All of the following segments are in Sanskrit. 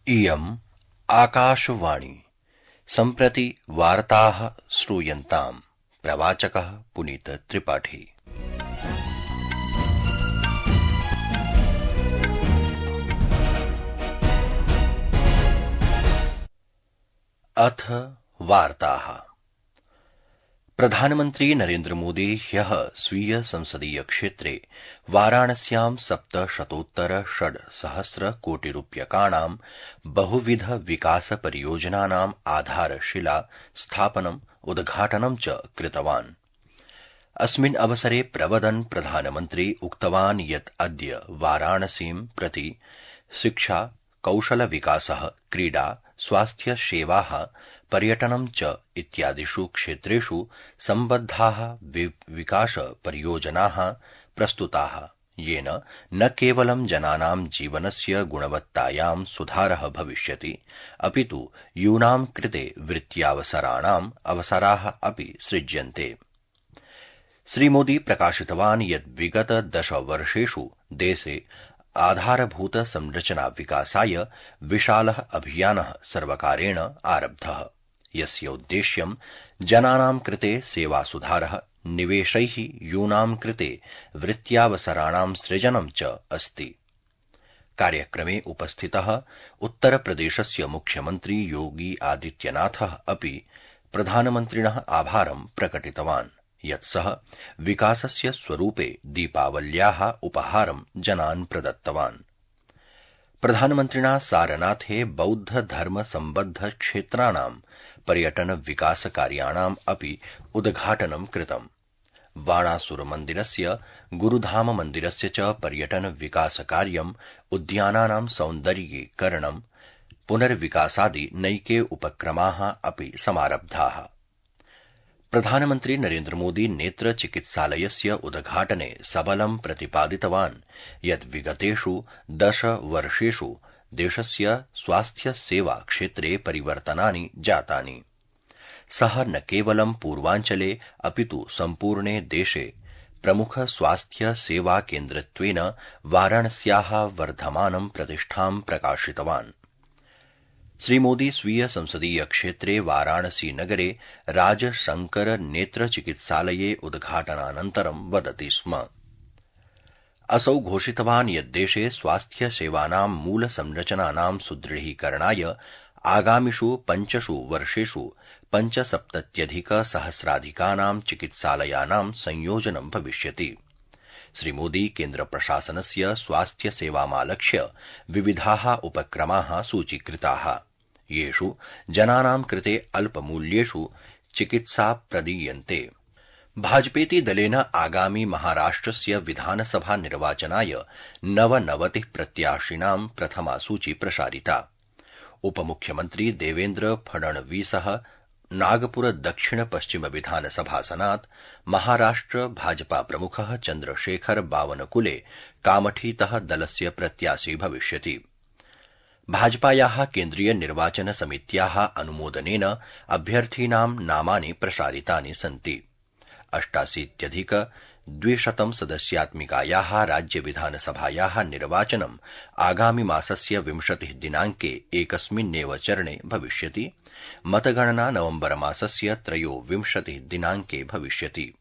इयम् आकाशवाणी सम्प्रति वार्ताः श्रूयन्ताम्। प्रवाचकः पुनीत त्रिपाठी। अथ वार्ताः। प्रधानमन्त्री नरेन्द्र मोदी ह्यः स्वीय संसदीय क्षेत्रे वाराणस्यां 700 कोटि रूप्यकाणां बहुविध विकास परियोजनानाम् आधारशिला स्थापनम् उद्घाटनं च कृतवान्। अस्मिन् अवसरे प्रवदन् प्रधानमन्त्री उक्तवान् यत् अद्य वाराणसीं प्रति शिक्षा, कौशल विकासः, क्रीडा, स्वास्थ्य सेवाः, पर्यटनं च इत्यादिषु क्षेत्रेषु सम्बद्धाः विकास परियोजनाः प्रस्तुताः, येन न केवलं जनानां जीवनस्य गुणवत्तायां सुधारः भविष्यति, अपितु यूनां कृते वृत्त्यावसराणाम् अवसराः अपि सृज्यन्ते। श्रीमोदी प्रकाशितवान् यत् विगत 10 वर्षेषु देशे आधारभूत संरचना विकासाय विशालः अभियानः सर्वकारेण आरब्धः, यस्य उद्देश्यं जनानां कृते सेवासुधारः, निवेशैः यूनां कृते वृत्त्यावसराणां सृजनं च अस्ति। कार्यक्रमे उपस्थितः उत्तरप्रदेशस्य मुख्यमन्त्री योगी आदित्यनाथः अपि प्रधानमन्त्रिणः आभारं प्रकटितवान्, यत् सः विकासस्य स्वरूपे दीपावल्याः उपहारं जनान् प्रदत्तवान्। प्रधानमन्त्रिणा सारनाथे बौद्ध धर्म सम्बद्ध क्षेत्राणां पर्यटन विकास कार्याणाम् अपि उद्घाटनं कृतम्। बाणासुर मन्दिरस्य, गुरुधाम मन्दिरस्य च पर्यटन विकास कार्यम्, उद्यानानां सौन्दर्यीकरणं, पुनर्विकासादि नैके उपक्रमाः अपि समारब्धाः। प्रधानमन्त्री नरेन्द्र मोदी नेत्र चिकित्सालयस्य उद्घाटने सबलं प्रतिपादितवान् यत् विगतेषु 10 वर्षेषु देशस्य स्वास्थ्य सेवा क्षेत्रे परिवर्तनानि जातानि। सः न केवलं पूर्वाञ्चले अपितु सम्पूर्णे देशे प्रमुख स्वास्थ्य सेवा केन्द्रत्वेन वाराणस्याः वर्धमानं प्रतिष्ठां प्रकाशितवान्। श्रीमोदी स्वीय संसदीय क्षेत्रे वाराणसी नगरे राजशंकर नेत्र चिकित्सालये उद्घाटनानन्तरं वदति स्म। असौ घोषितवान् यत् देशे स्वास्थ्य सेवानां मूल संरचनानां सुदृढीकरणाय आगामिषु 5 वर्षेषु 75,000 चिकित्सालयानां संयोजनं भविष्यति। श्रीमोदी केन्द्रप्रशासनस्य स्वास्थ्य सेवामालक्ष्य विविधाः उपक्रमाः सूचीकृताः, येषु जनानां कृते अल्पमूल्येषु चिकित्सा प्रदीयन्ते। भाजपेति दलेन आगामि महाराष्ट्रस्य विधानसभा निर्वाचनाय 99 प्रत्याशिनां प्रथमा सूची प्रसारिता। उपमुख्यमन्त्री देवेन्द्र फडणवीसः नागपुर दक्षिण पश्चिम विधानसभासनात्, महाराष्ट्र भाजपा प्रमुखः चन्द्रशेखर बावनकुले कामठीतः दलस्य प्रत्याशी भविष्यति। भाजपायाः केन्द्रीय निर्वाचन समित्याः अनुमोदनेन अभ्यर्थीनां नामानि प्रसारितानि सन्ति। 88,200 सदस्यात्मिकायाः राज्य विधानसभायाः निर्वाचनम् आगामि मासस्य 20 दिनाङ्के एकस्मिन्नेव चरणे भविष्यति। मतगणना नवम्बर मासस्य 23 दिनाङ्के भविष्यति।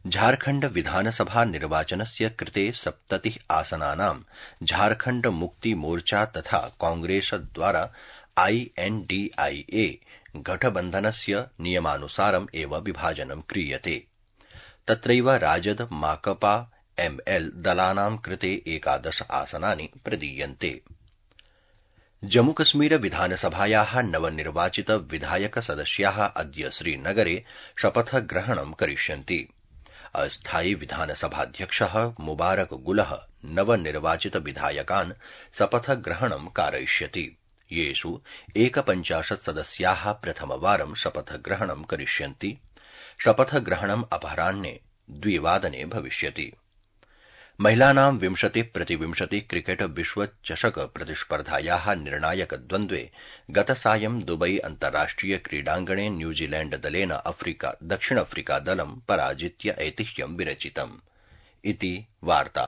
झारखण्ड विधानसभा निर्वाचनस्य कृते 70 आसनानां झारखण्ड मुक्ति मोर्चा तथा कांग्रेस द्वारा INDIA गठबन्धनस्य नियमानुसारम् एव विभाजनं क्रियते। तत्रैव राजद, माकपा, ML दलानां कृते 11 आसनानि प्रदीयन्ते। जम्मूकश्मीर विधानसभायाः नवनिर्वाचित विधायक सदस्याः अद्य श्रीनगरे शपथग्रहणं करिष्यन्ति। अस्थायी विधानसभाध्यक्षः मुबारक गुलः नवनिर्वाचित विधायकान् शपथग्रहणं कारयिष्यति, येषु 51 सदस्याः प्रथमवारं शपथग्रहणं करिष्यन्ति। शपथग्रहणम् अपराह्ने 2 वादने भविष्यति। महिलानां 20-20 क्रिकेट विश्वचषक प्रतिस्पर्धायाः निर्णायक द्वन्द्वे गतसायं दुबई अन्ताराष्ट्रिय क्रीडाङ्गणे न्यूजीलैण्ड दलेन दक्षिण अफ्रीका दलं पराजित्य ऐतिह्यं विरचितम्। इति वार्ता।